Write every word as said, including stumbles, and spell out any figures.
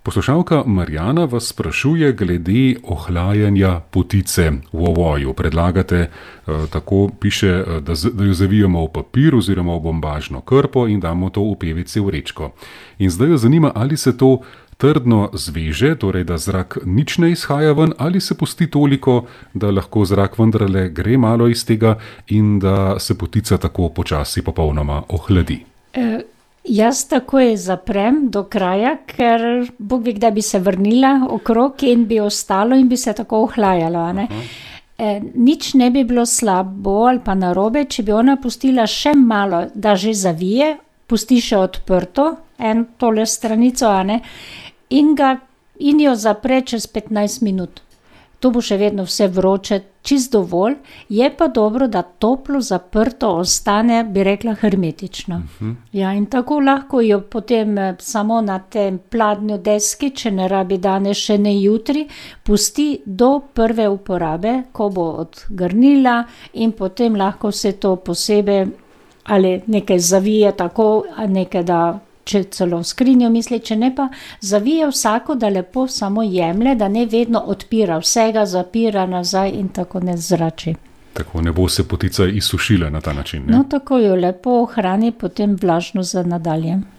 Poslušalka Marjana vas sprašuje glede ohlajanja potice v ovoju. Predlagate, eh, tako piše, da, z, da jo zavijemo v papir oziroma v bombažno krpo in damo to v pe ve ce vrečko. In zdaj jo zanima, ali se to trdno zveže, torej da zrak nič ne izhaja ven, ali se pusti toliko, da lahko zrak vendarle gre malo iz tega in da se potica tako počasi popolnoma ohladi. E, jaz takoj zaprem do kraja, ker Bog ve, kdaj bi se vrnila okrog in bi ostalo in bi se tako ohlajalo. A ne? E, nič ne bi bilo slabo ali pa narobe, če bi ona pustila še malo, da že zavije, pusti še odprto en tole stranico, a ne? In, ga, in jo zapre čez petnajst minut. To bo še vedno vse vroče, čist dovolj, je pa dobro, da toplo zaprto ostane, bi rekla, hermetično. Uh-huh. Ja, in tako lahko jo potem samo na tem pladnju deski, če ne rabi danes, še ne jutri, pusti do prve uporabe, ko bo odgrnila in potem lahko se to posebej ali nekaj zavije tako, a nekaj da če celo v skrinjo misli, če ne pa zavije vsako, da lepo samo jemlje, da ne vedno odpira vsega, zapira nazaj in tako ne zrači. Tako ne bo se potica izsušila na ta način. Ne? No, tako jo lepo ohrani potem vlažno za nadalje.